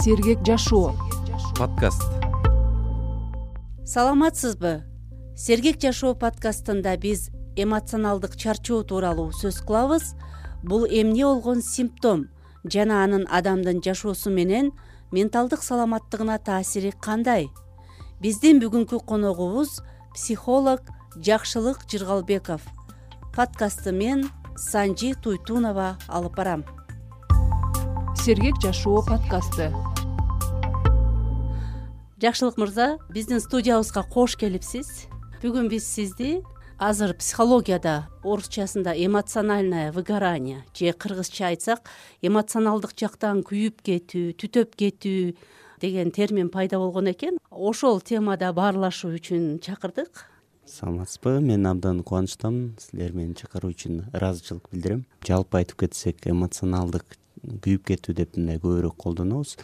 Сергек жашоо подкаст. Саламатсызбы? Сергек жашоо подкастында биз эмоционалдык чарчоо тууралуу сөз кылабыз. Бул эмне болгон симптом жана анын адамдын жашоосу менен менталдык саламаттыгына таасири кандай? Биздин бүгүнкү коногубуз психолог Жакшылык Жыргалбеков. Подкастты мен Санжи Туйтунова алып барам. Сергек жашоо подкасты. Жакшылык мырза, биздин студиябызга кош келипсиз. Бүгүн биз сизди азыр психологияда орусчасында эмоциональное выгорание же кыргызча айтсак эмоционалдык жактан күйүп кетүү, түтөп кетүү деген термин пайда болгон экен. Ошол темада баарлашуу үчүн чакырдык. Саламатсызбы? Мен абдан кубанычтамын. Силер мени чакыруу үчүн ыраазычылык билдирем. Жалпы айтып кетсек, эмоционалдык күйүп кетүү деп мындай көбүрөөк колдонобуз.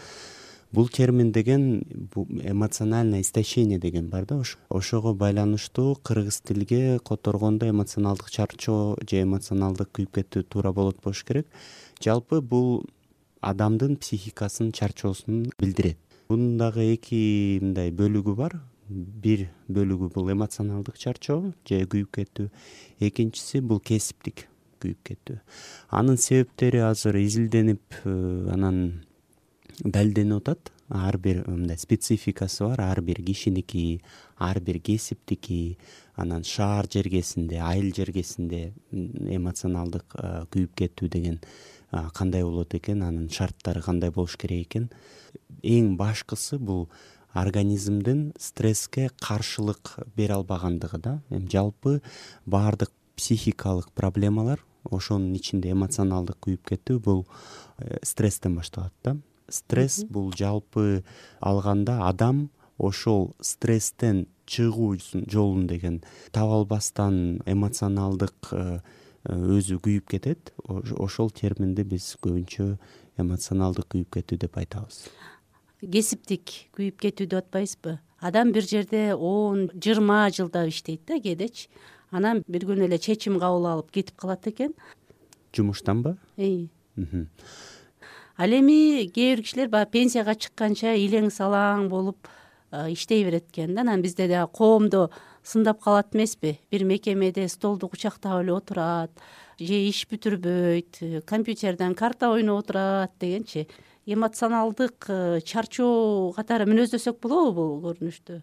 Бул термин деген эмоциональное истощение деген бар да, ошого байланыштуу кыргыз тилге которгондо эмоционалдык чарчоо же эмоционалдык күйүп кетүү туура болот болуш керек. Жалпы бул адамдын психикасынын чарчоосун билдирет. Бунун дагы эки мындай бөлүгү бар. Бир бөлүгү бул эмоционалдык чарчоо же күйүп кетүү, экинчиси бул кесиптик күйүп кетүү. Анын себептери азыр изилденип, анан далилденип атат. Ар бир мындай спецификасы бар, ар бир кишиники, ар бир кесиптики, анан шаар жергесинде, айыл жергесинде эмоционалдык күйүп кетүү деген кандай болот экен, анын шарттары кандай болуш керек экен. Эң башкысы бул организмдин стресске каршылык бере албагандыгы да. Жалпы баардык психикалык проблемалар, ошонун ичинде эмоционалдык күйүп кетүү бул стресстен башталат да. Стресс бул жалпы алганда адам ошол стресстен чыгуу жолун деген таба албастан эмоционалдык өзү күйүп кетет. Ошол терминди биз көбүнчө эмоционалдык күйүп кетүү деп айтабыз. Кесиптик күйүп кетүү деп атпайсызбы? Адам бир жерде 10-20 жылдап иштейт да кээдечи. Анан бир күнү эле чечим кабыл алып кетип калат экен. Жумуштанбы? Ал эми кээ бир кишилер баягы пенсияга чыкканча илең салаң болуп иштей берет экен да. Анан бизде дагы коомдо сындап калат эмеспи? Бир мекемеде столду кучактап эле отурат, же иш бүтүрбөйт, компьютерден карта ойноп отурат дегенчи. Эмоционалдык чарчоо катары мүнөздөсөк болобу бул көрүнүштү?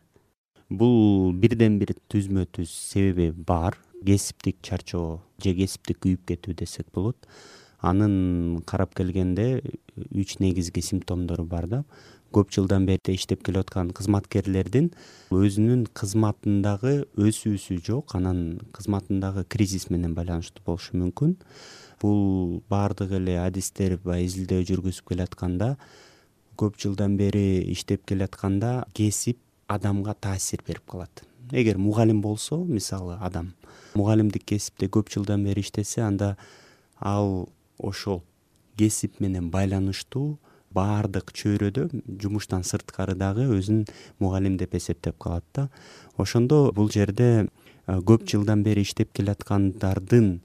Бул бирден бир түзмө түз себеби бар. Кесиптик чарчоо же кесиптик күйүп кетүү десек болот. Анын карап келгенде 3 негизги симптомдору бар да. Көп жылдан бери иштеп келе аткан кызматкерлердин өзүнүн кызматындагы өсүүсү жок, анан кызматындагы кризис менен байланыштуу болушу мүмкүн. Бул баардык эле адистер изилдөө жүргүзүп келатканда, көп жылдан бери иштеп келатканда кесип адамга таасир берип калат. Эгер мугалим болсо, мисалы адам мугалимдик кесипте көп жылдан бери иштесе, анда ал ошол кесип менен байланыштуу баардык чөйрөдө жумуштан сырткары дагы өзүн мугалим деп эсептеп калат да. Ошондо бул жерде көп жылдан бери иштеп келаткандардын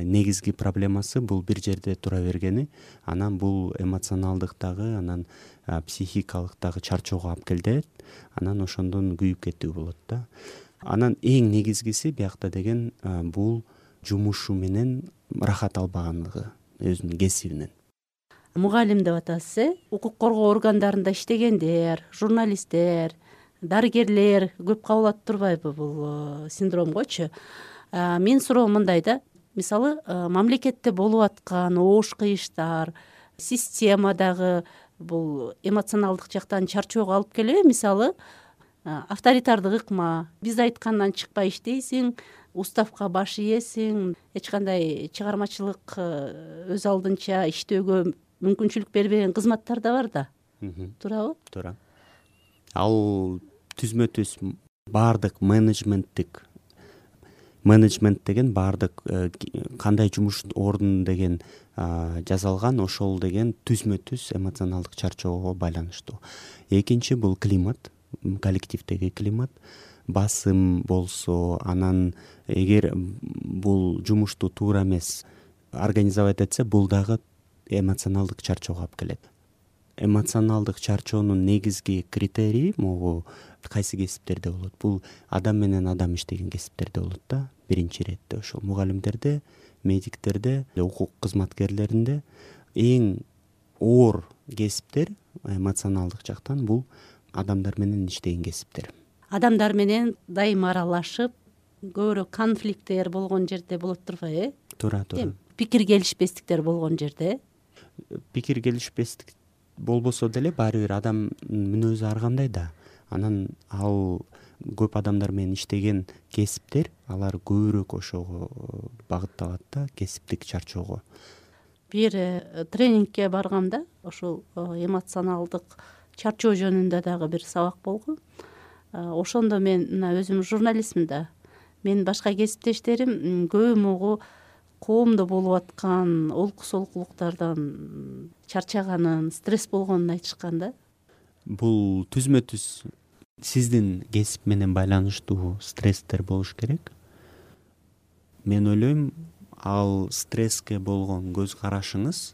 негизги проблемасы бул бир жерде тура бергени, анан бул эмоционалдыктагы, анан психикалыктагы чарчоого алып келет, анан ошондон күйүп кетүү болот да. Анан эң негизгиси биякта деген бул жумушу менен рахат албагандыгы, өзүнүн кесибинен. Мугалим деп атасыз, укук коргоо органдарында иштегендер, журналисттер, дарыгерлер көп кабылат турбайбы бул синдромгочу? Менин суроом мындай да. Мисалы, мамлекетте болуп аткан оош кыйыштар, системадагы бул эмоционалдык жактан чарчоого алып келеби? Мисалы, авторитардык ыкма, биз айткандан чыкпай иштейсиң, уставка баш ийесиң, эч кандай чыгармачылык өз алдынча иштөөгө мүмкүнчүлүк бербеген кызматтар да бар да. Туурабы? Туура. Ал түзмө түз баардык менеджмент деген баардык кандай жумуш ордун деген жазалган, ошол деген түзмө түз эмоционалдык чарчоого байланыштуу. Экинчи бул климат, коллективдеги климат. Басым болсо, анан эгер бул жумушту туура эмес организовать этсе, бул дагы эмоционалдык чарчоого алып келет. эмоционалдык чарчоонун негизги критерийи могу кайсы кесиптерде болот? Бул адам менен адам иштеген кесиптерде болот да. Биринчи иретте ошол мугалимдерде, медиктерде, укук кызматкерлеринде эң оор кесиптер эмоционалдык жактан бул адамдар менен иштеген кесиптер. Адамдар менен дайыма аралашып, көбүрөөк конфликттер болгон жерде болот турбайбы? Туура. Пикир келишпестиктер болгон жерде. Пикир келишпестик болбосо деле баары бир адам мүнөзү ар кандай да. Анан ал көп адамдар менен иштеген кесиптер, алар көбүрөөк ошого багытталат да, кесиптик чарчоого. Бир тренингке баргамда ошол эмоционалдык чарчоо жөнүндө дагы бир сабак болгон. Ошондо мен мына өзүм журналистмин да. Менин башка кесиптештерим көбү могу коомдо болуп аткан олку солкулуктардан чарчаганын, стресс болгонун айтышкан да. Бул түзмө түз сиздин кесип менен байланыштуу стресстер болуш керек. Мен ойлойм, ал стресске болгон көз карашыңыз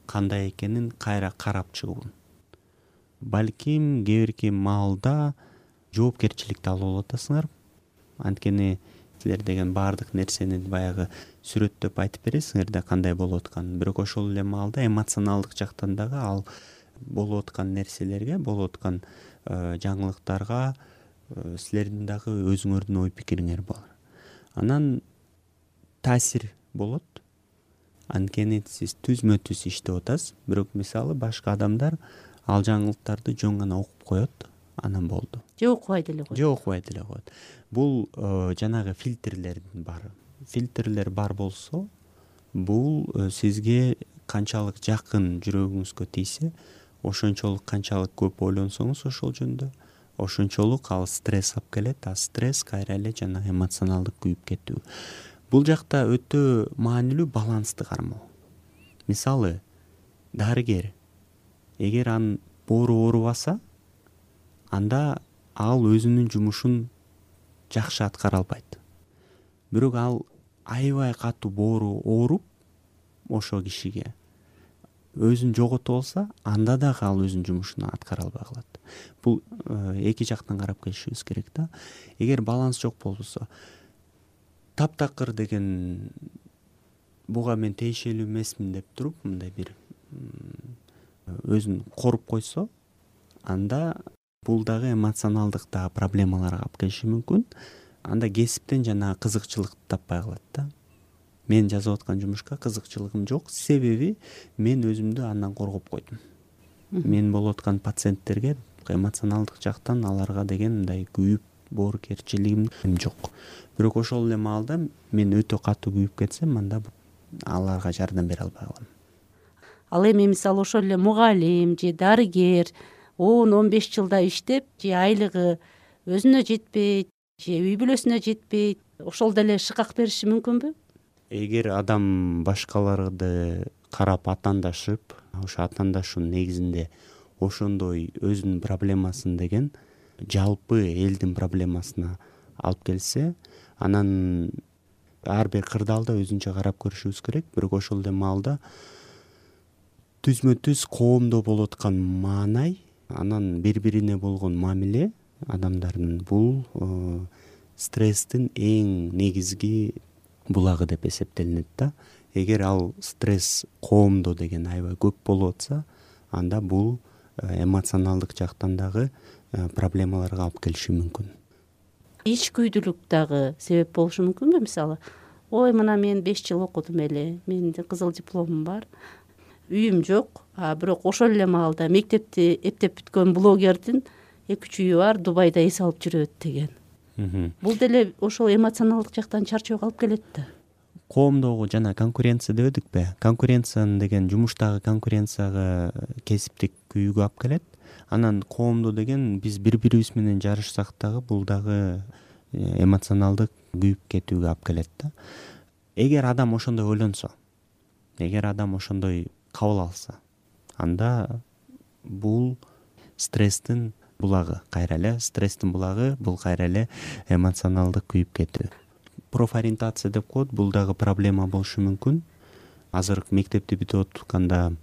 кандай экенин кайра карап чыгуу. Балким кээ бирки маалда жоопкерчиликти алып атасыңар. Анткени силер деген баардык нерсени баягы сүрөттөп айтып бересиңер да кандай болуп атканын. Бирок ошол эле маалда эмоционалдык жактан дагы ал болуп аткан нерселерге, болуп аткан жаңылыктарга силердин дагы өзүңөрдүн ой пикириңер бар. Анан таасир болот. Анткени сиз түзмө түз иштеп атасыз, бирок мисалы башка адамдар ал жаңылыктарды жөн гана окуп коет, анан болду. Же окубай деле коет. Бул жанагы фильтрлердин баары. Фильтрлер бар болсо, бул сизге канчалык жакын жүрөгүңүзгө тийсе, ошончолук канчалык көп ойлонсоңуз ошол жөнүндө, ошончолук ал стресс алып келет, а стресс кайра эле жанагы эмоционалдык күйүп кетүү. Бул жакта өтө маанилүү балансты кармоо. Мисалы, дарыгер эгер анын боору оорубаса, анда ал өзүнүн жумушун жакшы аткара албайт. Бирок ал аябай катуу боору ооруп ошол кишиге өзүн жоготуп алса, анда дагы ал өзүнүн жумушун аткара албай калат. Бул эки жактан карап келишибиз керек да. Эгер баланс жок болбосо, таптакыр деген буга мен тиешелүү эмесмин деп туруп, мындай бир өзүн коруп койсо, анда бул дагы эмоционалдык дагы проблемаларга алып келиши мүмкүн. Анда кесиптен жана кызыкчылык таппай калат да. Мен жазып аткан жумушка кызыкчылыгым жок, себеби мен өзүмдү андан коргоп койдум. Мен болуп аткан пациенттерге эмоционалдык жактан аларга деген мындай күйүп боорукерчилигим жок. Бирок ошол эле маалда мен өтө катуу күйүп кетсем, анда аларга жардам бере албай калам. Ал эми мисалы ошол эле мугалим же дарыгер 10-15 жылда иштеп, же айлыгы өзүнө жетпейт, же үй бүлөсүнө жетпейт, ошол деле шыкак бериши мүмкүнбү? Эгер адам башкаларды карап атаандашып, ошо атаандашуунун негизинде ошондой өзүнүн проблемасын деген жалпы элдин проблемасына алып келсе, анан ар бир кырдаалда өзүнчө карап көрүшүбүз керек. Бирок ошол эле маалда түзмө түз коомдо болуп аткан маанай, анан бири-бирине болгон мамиле адамдардын бул стресстин эң негизги булагы деп эсептелинет да. Эгер ал стресс коомдо деген аябай көп болуп атса, анда бул эмоционалдык жактан дагы проблемаларга алып келиши мүмкүн. Ичкүйдүүлүк дагы себеп болушу мүмкүнбү? Мисалы, ой, мына мен 5 жыл окудум эле, менин кызыл дипломум бар, үйүм жок, бирок ошол эле маалда мектепти эптеп бүткөн блогердин 2-3 үйү бар, Дубайда эс алып жүрөт деген. Бул деле ошол эмоционалдык жактан чарчоого алып келет да. Коомдогу жана конкуренция дебедикпи? Конкуренция деген жумуштагы конкуренцияга кесиптик күйүүгө алып келет. Анан коомдо деген биз бири-бирибиз менен жарышсак дагы бул дагы эмоционалдык күйүп кетүүгө алып келет да. Эгер адам ошондой ойлонсо, эгер адам ошондой кабыл алса, анда бул стресстин булагы, кайра эле стресстин булагы, бул кайра эле эмоционалдык күйүп кетүү. Профориентация деп коет, бул дагы проблема болушу мүмкүн. Азыр мектепти бүтүп атканда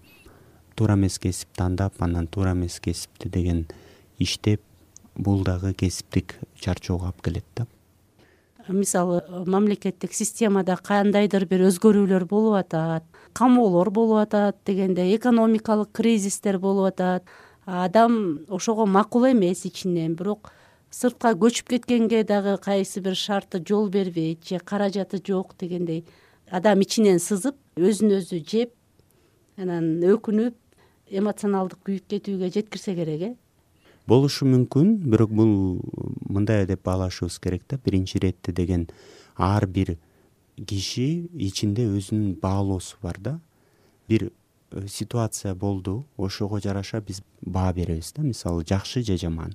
туура эмес кесип тандап, анан туура эмес кесипти деген иштеп, бул дагы кесиптик чарчоого алып келет да. Мисалы мамлекеттик системада кандайдыр бир өзгөрүүлөр болуп атат, камоолор болуп атат дегенде, экономикалык кризистер болуп атат. Адам ошого макул эмес ичинен, бирок сыртка көчүп кеткенге дагы кайсы бир шарты жол бербейт же каражаты жок дегендей, адам ичинен сызып, өзүн өзү жеп, анан өкүнүп, эмоционалдык күйүп кетүүгө жеткирсе керек. Болушу мүмкүн, бирок бул мындай деп баалашыбыз керек да. Биринчи иретте деген ар бир киши ичинде өзүнүн баалоосу бар да. Бир ситуация болду, ошого жараша биз баа беребиз да. Мисалы, жакшы же жаман.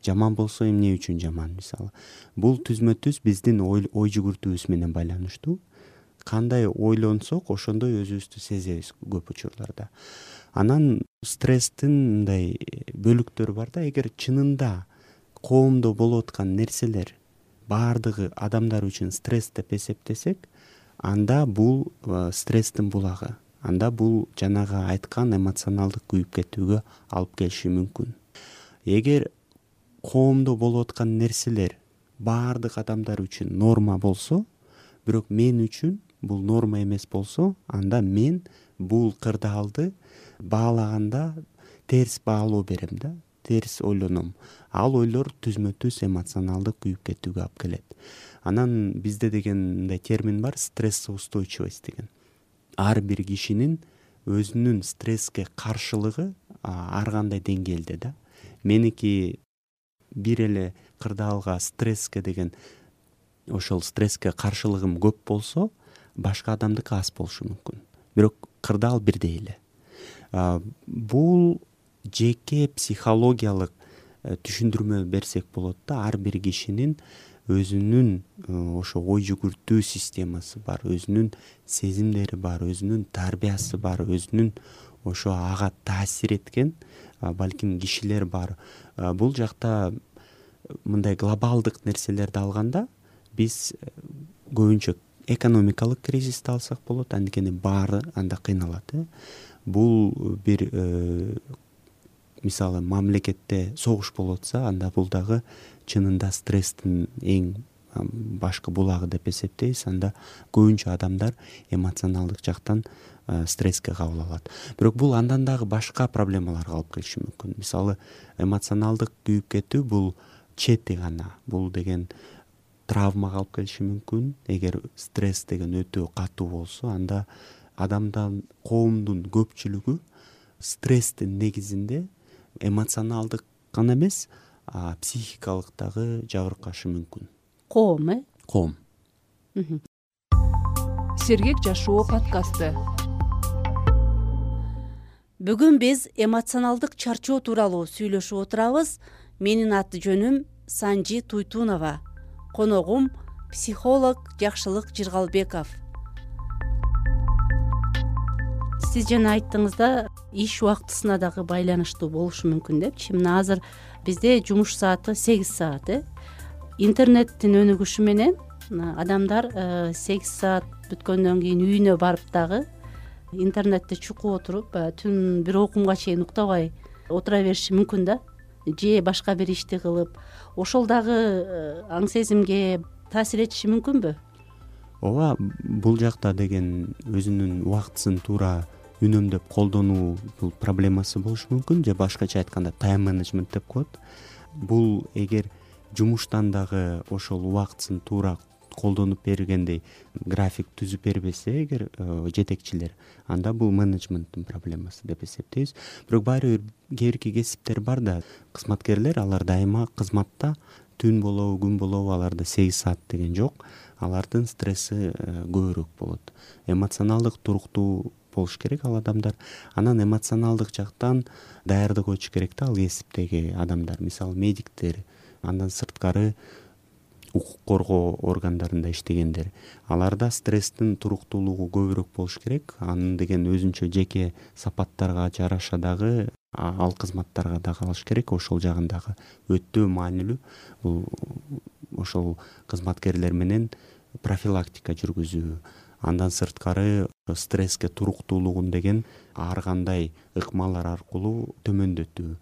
Жаман болсо эмне үчүн жаман, мисалы. Бул түзмө түз биздин ой жүгүртүүбүз менен байланыштуу. Кандай ойлонсок, ошондой өзүбүздү сезебиз көп учурларда. Анан стресстин мындай бөлүктөрү бар да. Эгер чынында коомдо болуп аткан нерселер баардыгы адамдар үчүн стресс деп эсептесек, анда бул стресстин булагы. Анда бул жанагы айткан эмоционалдык күйүп кетүүгө алып келиши мүмкүн. Эгер коомдо болуп аткан нерселер баардык адамдар үчүн норма болсо, бирок мен үчүн бул норма эмес болсо, анда мен бул кырдаалды баалаганда терс баалоо берем да, терс ойлоном. Ал ойлор түзмө түз эмоционалдык күйүп кетүүгө алып келет. Анан бизде деген мындай термин бар, стрессоустойчивость деген. Ар бир кишинин өзүнүн стресске каршылыгы ар кандай деңгээлде да. Меники бир эле кырдаалга стресске деген ошол стресске каршылыгым көп болсо, башка адамдыкы аз болушу мүмкүн. Бирок кырдаал бирдей эле. Бул жеке психологиялык түшүндүрмө берсек болот да. Ар бир кишинин өзүнүн ошо ой жүгүртүү системасы бар, өзүнүн сезимдери бар, өзүнүн тарбиясы бар, өзүнүн ошо ага таасир эткен балким кишилер бар. Бул жакта мындай глобалдык нерселерди алганда, биз көбүнчө экономикалык кризисти алсак болот, анткени баары анда кыйналат. Бул бир мисалы мамлекетте согуш болуп атса, анда бул дагы чынында стресстин эң башкы булагы деп эсептейбиз. Анда көбүнчө адамдар эмоционалдык жактан стресске кабыл алат. Бирок бул андан дагы башка проблемаларга алып келиши мүмкүн. Мисалы, эмоционалдык күйүп кетүү бул чети гана. Бул деген травмага алып келиши мүмкүн. Эгер стресс деген өтө катуу болсо, анда адамдан, коомдун көпчүлүгү стресстин негизинде эмоционалдык гана эмес, психикалык дагы жабыркашы мүмкүн. Коом, Коом. Сергек жашоо подкасты. Бүгүн биз эмоционалдык чарчоо тууралуу сүйлөшүп отурабыз. Менин аты жөнүм Санжи Туйтунова. Коногум психолог Жакшылык Жыргалбеков. Сиз жана айттыңыз да, иш убактысына дагы байланыштуу болушу мүмкүн депчи. Мына азыр бизде жумуш сааты 8 саат. Интернеттин өнүгүшү менен адамдар 8 саат бүткөндөн кийин үйүнө барып дагы интернетте чукуп отуруп, түн бир окумга чейин уктабай отура бериши мүмкүн да. Же башка бир ишти кылып, ошол дагы аң сезимге таасир этиши мүмкүнбү? Ооба, бул жакта деген өзүнүн убактысын туура үнөмдөп колдонуу бул проблемасы болушу мүмкүн, же башкача айтканда тайм менеджмент деп коет. Бул эгер жумуштан дагы ошол убактысын туура колдонуп бергендей график түзүп бербесе эгер жетекчилер, анда бул менеджменттин проблемасы деп эсептейбиз. Бирок баары бир кээ кесиптер бар да, кызматкерлер, алар дайыма кызматта түн болобу, күн болобу, аларда 8 саат деген жок. Алардын стресси көбүрөөк болот. Эмоционалдык туруктуу болуш керек ал адамдар. Анан эмоционалдык жактан даярдык өтүш керек да ал кесиптеги адамдар. Мисалы, медиктер, андан сырткары укук коргоо органдарында иштегендер. Аларда стресстин туруктуулугу көбүрөөк болуш керек. Анын деген өзүнчө жеке сапаттарга жараша дагы ал кызматтарга дагы алыш керек. Ошол жагындагы өтө маанилүү. Бул ошол кызматкерлер менен профилактика жүргүзүү, Андан сырткары стресске туруктуулугун деген ар кандай ыкмалар аркылуу төмөндөтүү.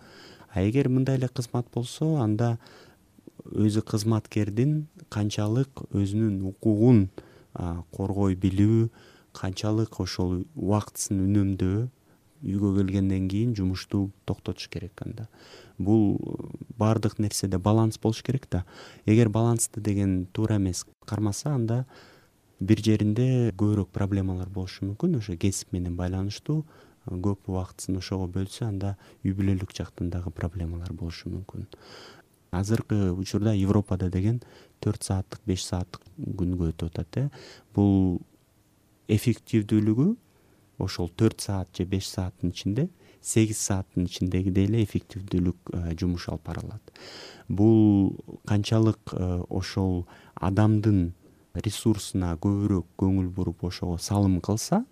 А эгер мындай эле кызмат болсо, анда өзү кызматкердин канчалык өзүнүн укугун коргой билүү, канчалык ошол убактысын үнөмдөө, үйгө келгенден кийин жумушту токтотуш керек. Анда бул баардык нерседе баланс болуш керек да. Эгер балансты деген туура эмес кармаса, анда бир жеринде көбүрөөк проблемалар болушу мүмкүн. Ошо кесип менен байланыштуу көп убактысын ошого бөлсө, анда үй бүлөлүк жактан дагы проблемалар болушу мүмкүн. Азыркы учурда Европада деген 4 сааттык, 5 сааттык күнгө өтүп атат. Бул эффективдүүлүгү ошол 4 саат же 5 сааттын ичинде 8 сааттын ичиндегидей эле эффективдүүлүк жумуш алып барылат. Бул канчалык ошол адамдын ресурсуна көбүрөөк көңүл буруп ошого салым кылса,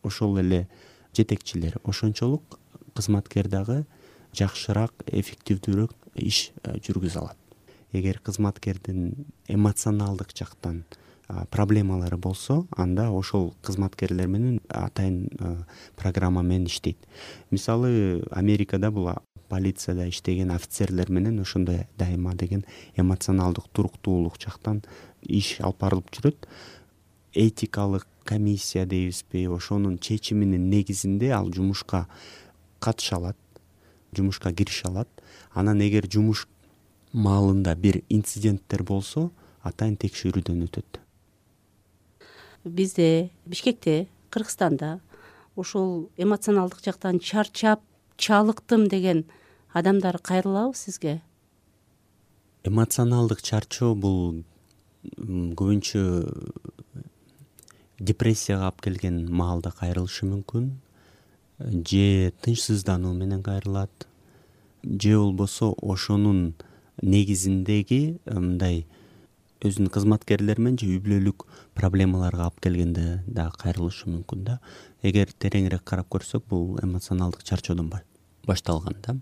ошол эле жетекчилер ошончолук кызматкер дагы жакшыраак, эффективдүүрөөк иш жүргүзө алат. Эгер кызматкердин эмоционалдык жактан проблемалары болсо, анда ошол кызматкерлер менен атайын программа менен иштейт. Мисалы, Америкада бул полицияда иштеген офицерлер менен ошондой дайыма деген эмоционалдык туруктуулук жактан иш алып барылып жүрөт. Этикалык комиссия дейбизби, ошонун чечиминин негизинде ал жумушка катыша алат, жумушка кирише алат. Анан эгер жумуш маалында бир инциденттер болсо, атайын текшерүүдөн өтөт. Бизде Бишкекте, Кыргызстанда ошол эмоционалдык жактан чарчап, чалыктым деген адамдар кайрылабы сизге? Эмоционалдык чарчоо бул көбүнчө депрессияга алып келген маалда кайрылышы мүмкүн, же тынчсыздануу менен кайрылат, же болбосо ошонун негизиндеги мындай өзүнүн кызматкерлери менен же үй бүлөлүк проблемаларга алып келгенде дагы кайрылышы мүмкүн да. Эгер тереңирээк карап көрсөк, бул эмоционалдык чарчоодон башталган да.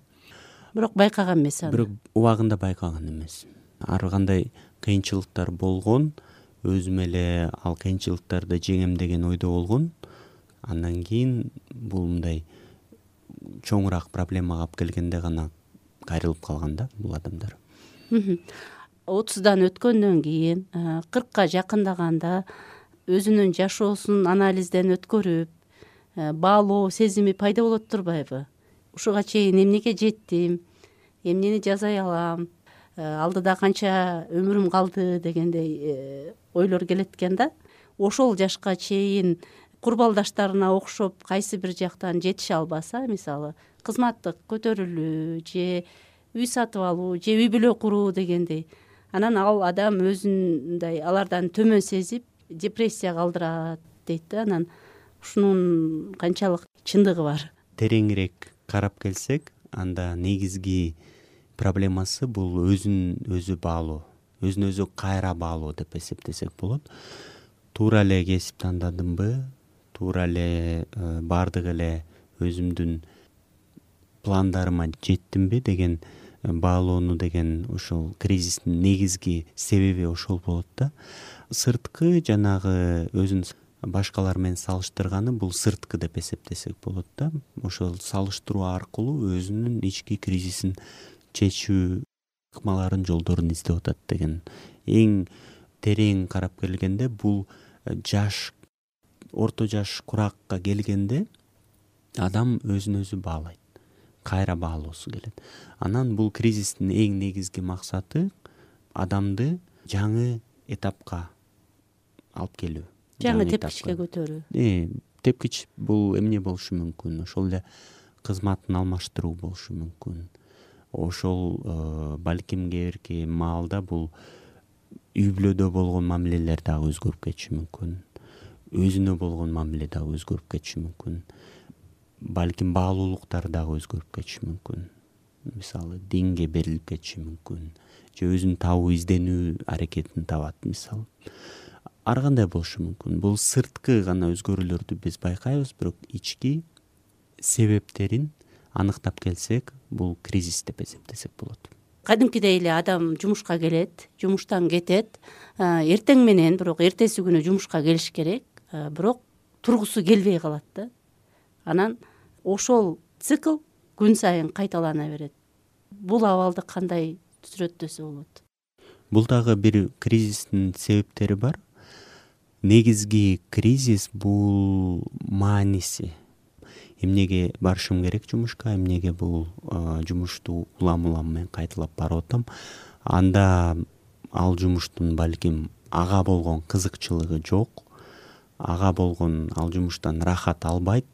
Бирок байкаган эмес аны. Бирок убагында байкаган эмес. Ар кандай кыйынчылыктар болгон, өзүм эле ал кыйынчылыктарды жеңем деген ойдо болгон. Андан кийин бул мындай чоңураак проблемага алып келгенде гана кайрылып калган да бул адамдар. 30дан өткөндөн кийин 40ка жакындаганда өзүнүн жашоосун анализден өткөрүп, баалоо сезими пайда болот турбайбы? Ушуга чейин эмнеге жеттим, эмнени жасай алам, алдыда канча өмүрүм калды дегендей ойлор келет экен да. Ошол жашка чейин курбалдаштарына окшоп кайсы бир жактан жетише албаса, мисалы кызматтык көтөрүлүү же үй сатып алуу же үй бүлө куруу дегендей, анан ал адам өзүн мындай алардан төмөн сезип депрессияга калдырат дейт да. Анан ушунун канчалык чындыгы бар? Тереңирээк карап келсек, анда негизги проблемасы бул өзүн өзү баалоо, өзүн өзү кайра баалоо деп эсептесек болот. Туура эле кесип тандадымбы, туура эле баардык эле өзүмдүн пландарыма жеттимби деген баалоону деген ошол кризистин негизги себеби ошол болот да. Сырткы жанагы өзүн башкалар менен салыштырганы бул сырткы деп эсептесек болот да. Ошол салыштыруу аркылуу өзүнүн ички кризисин чечүү ыкмаларын, жолдорун издеп атат деген. Эң терең карап келгенде бул жаш, орто жаш куракка келгенде адам өзүн өзү баалайт, кайра баалоосу келет. Анан бул кризистин эң негизги максаты адамды жаңы этапка алып келүү, жаңы тепкичке көтөрүү. Тепкич бул эмне болушу мүмкүн? Ошол эле кызматын алмаштыруу болушу мүмкүн. Ошол балким кээ бирки маалда бул үй бүлөдө болгон мамилелер дагы өзгөрүп кетиши мүмкүн. Өзүнө болгон мамиле дагы өзгөрүп кетиши мүмкүн. Балким баалуулуктар дагы өзгөрүп кетиши мүмкүн. Мисалы, динге берилип кетиши мүмкүн. Же өзүн табуу, изденүү аракетин табат, мисалы. Ар кандай болушу мүмкүн. Бул сырткы гана өзгөрүүлөрдү биз байкайбыз, бирок ички себептерин аныктап келсек, бул кризис деп эсептесек болот. Кадимкидей эле адам жумушка келет, жумуштан кетет, эртең менен, бирок эртеси күнү жумушка келиш керек. бирок тургусу келбей калат да. Анан ошол цикл күн сайын кайталана берет. Бул абалды кандай сүрөттөсө болот? Бул дагы бир кризистин себептери бар. Негизги кризис бул мааниси. Эмнеге барышым керек жумушка, эмнеге бул жумушту улам менен кайталап барып атам. Анда ал жумуштун балким ага болгон кызыкчылыгы жок, ага болгон ал жумуштан рахат албайт.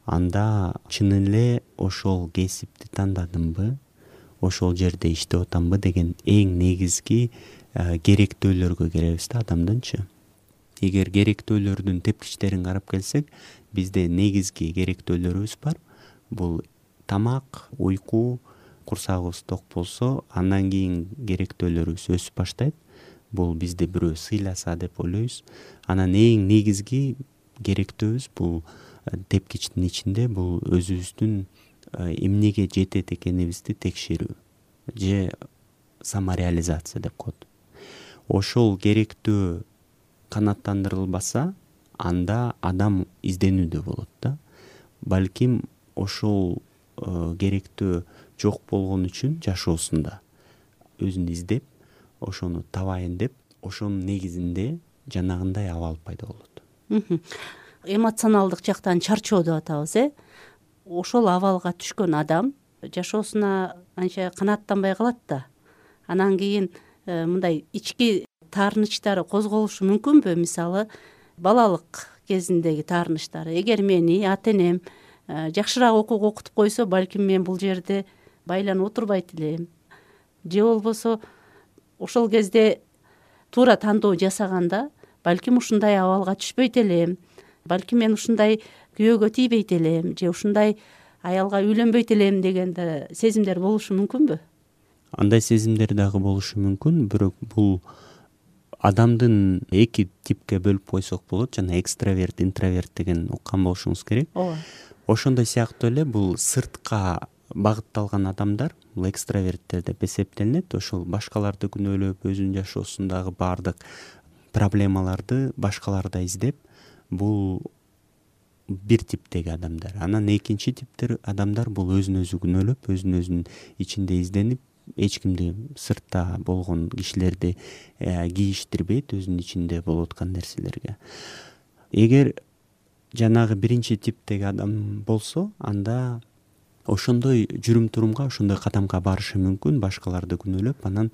Анда чын эле ошол кесипти тандадымбы, ошол жерде иштеп атамбы деген эң негизги керектөөлөргө келебиз да адамдынчы. Эгер керектөөлөрдүн тепкичтерин карап келсек, бизде негизги керектөөлөрүбүз бар. Бул тамак, уйку, курсагыбыз ток болсо, андан кийин керектөөлөрүбүз өсүп баштайт. Бул бизди бирөө сыйласа деп ойлойбуз. Анан эң негизги керектөөбүз бул тепкичтин ичинде бул өзүбүздүн эмнеге жетет экенибизди текшерүү же самореализация деп коет. Ошол керектөө канааттандырылбаса, анда адам изденүүдө болот да. Балким ошол керектөө жок болгон үчүн жашоосунда өзүн издеп, ошону табайын деп, ошонун негизинде жанагындай абал пайда болот. Эмоционалдык жактан чарчоо деп атабыз, ошол абалга түшкөн адам жашоосуна анча канааттанбай калат да. Анан кийин мындай ички таарынычтары козголушу мүмкүнбү? Мисалы, балалык кезиндеги таарынычтары. Эгер мени ата энем жакшыраак окутуп койсо, балким мен бул жерде байланып отурбайт элем. Же болбосо ошол кезде туура тандоо жасаганда, балким ушундай абалга түшпөйт элем. Балким мен ушундай күйөөгө тийбейт элем, же ушундай аялга үйлөнбөйт элем деген да сезимдер болушу мүмкүнбү? Андай сезимдер дагы болушу мүмкүн, бирок бул адамдын эки типке бөлүп койсок болот. Жана экстраверт, интроверт деген уккан болушуңуз керек. Ооба. Ошондой сыяктуу эле бул сыртка багытталган адамдар, бул экстраверттер деп эсептелинет. Ошол башкаларды күнөөлөп, өзүнүн жашоосундагы баардык проблемаларды башкаларда издеп, бул бир типтеги адамдар. Анан экинчи типтер адамдар бул өзүн өзү күнөөлөп, өзүн ичинде изденип, эч кимди сыртта болгон кишилерди кийиштирбейт өзүнүн ичинде болуп аткан нерселерге. Эгер жанагы биринчи типтеги адам болсо, анда ошондой жүрүм-турумга, ошондой кадамга барышы мүмкүн, башкаларды күнөөлөп, анан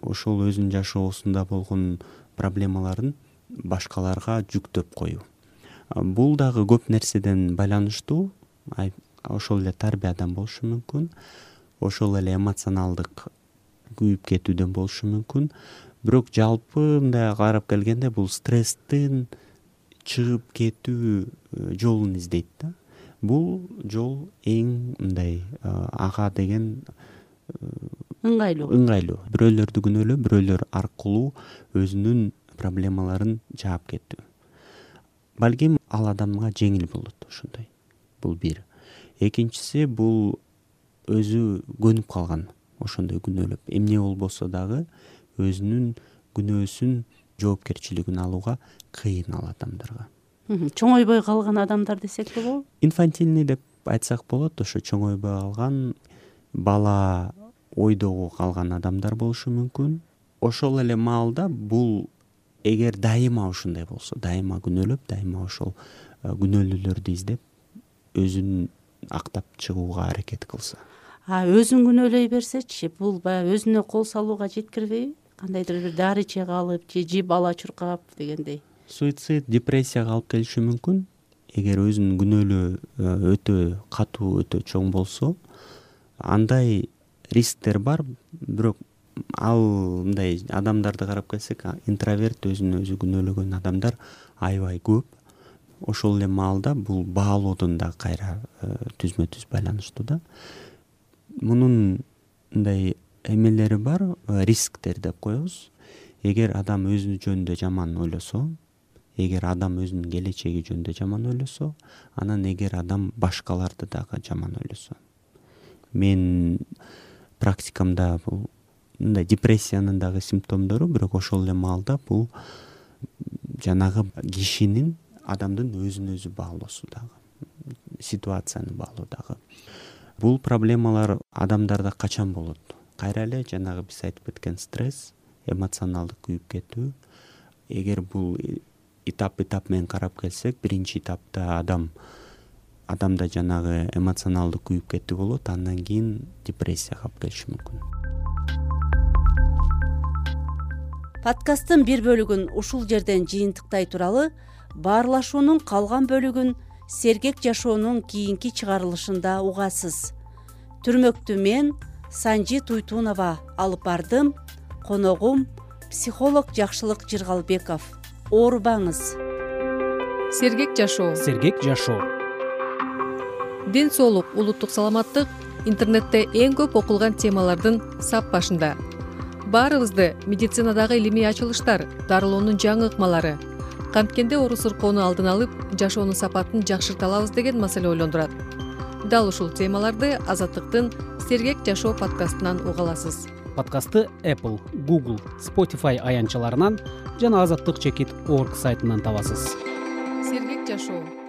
ошол өзүнүн жашоосунда болгон проблемаларын башкаларга жүктөп коюу. Бул дагы көп нерседен байланыштуу. Ошол эле тарбиядан болушу мүмкүн, ошол эле эмоционалдык күйүп кетүүдөн болушу мүмкүн. Бирок жалпы мындай карап келгенде бул стресстин чыгып кетүү жолун издейт да. Бул жол эң мындай ага деген ыңгайлуу. Бирөөлөрдү күнөөлөп, бирөөлөр аркылуу өзүнүн проблемаларын жаап кетүү. Балким ал адамга жеңил болот ошондой. Бул бир. Экинчиси бул өзү көнүп калган, ошондой күнөөлөп. Эмне болбосо дагы өзүнүн күнөөсүн жоопкерчилигин алууга кыйын ал адамдарга. Чоңойбой калган адамдар десек болобу? Инфантильный деп айтсак болот. Ошо чоңойбой калган, бала ойдогу калган адамдар болушу мүмкүн. Ошол эле маалда бул эгер дайыма ушундай болсо, дайыма күнөөлөп, дайыма ошол күнөөлүүлөрдү издеп, өзүн актап чыгууга аракет кылса. Өзүн күнөөлөй берсечи, бул баягы өзүнө кол салууга жеткирбейби? Кандайдыр бир дары иче калып, же бала чуркап дегендей. Суицид, депрессияга алып келиши мүмкүн. Эгер өзүнүн күнөөлөө өтө катуу, өтө чоң болсо, андай рисктер бар. Бирок ал мындай адамдарды карап келсек, интроверт, өзүн өзү күнөөлөгөн адамдар аябай көп. Ошол эле маалда бул баалоодон да кайра түзмө-түз байланыштуу да. Мунун мындай эмелери бар, рисктер деп коебуз. Эгер адам өзү жөнүндө жаман ойлосо, эгер адам өзүнүн келечеги жөнүндө жаман ойлосо, анан эгер адам башкаларды дагы жаман ойлосо. Мен практикамда бул мындай депрессиянын дагы симптомдору, бирок ошол эле маалда бул жанагы кишинин адамдын өзүн өзү баалоосу дагы, ситуацияны баалоо дагы. Бул проблемалар адамдарда качан болот? Кайра эле жанагы биз айтып кеткен стресс, эмоционалдык күйүп кетүү. Эгер бул этап менен карап келсек, биринчи этапта адамда жанагы эмоционалдык күйүп кетүү болот, андан кийин депрессия калып келиши мүмкүн. Подкасттын бир бөлүгүн ушул жерден жыйынтыктай туралы баарлашуунун калган бөлүгүн Сергек жашоонун кийинки чыгарылышында угасыз. Түрмөктү мен Санжи Туйтунова алып бардым. Коногум психолог Жакшылык Жыргалбеков. Оорубаңыз. Сергек жашоо. Сергек жашоо. Ден соолук, улуттук саламаттык интернетте эң көп окулган темалардын сап башында. Баарыбызды медицинадагы илимий ачылыштар, дарылоонун жаңы ыкмалары, канткенде оору сыркоону алдын алып, жашоонун сапатын жакшырта алабыз деген маселе ойлондурат. Дал ушул темаларды Азаттыктын Сергек жашоо подкастынан уга аласыз. Подкастты Apple, Google, Spotify аянтчаларынан жана azаттык.org сайтынан табасыз. Сергек жашоо.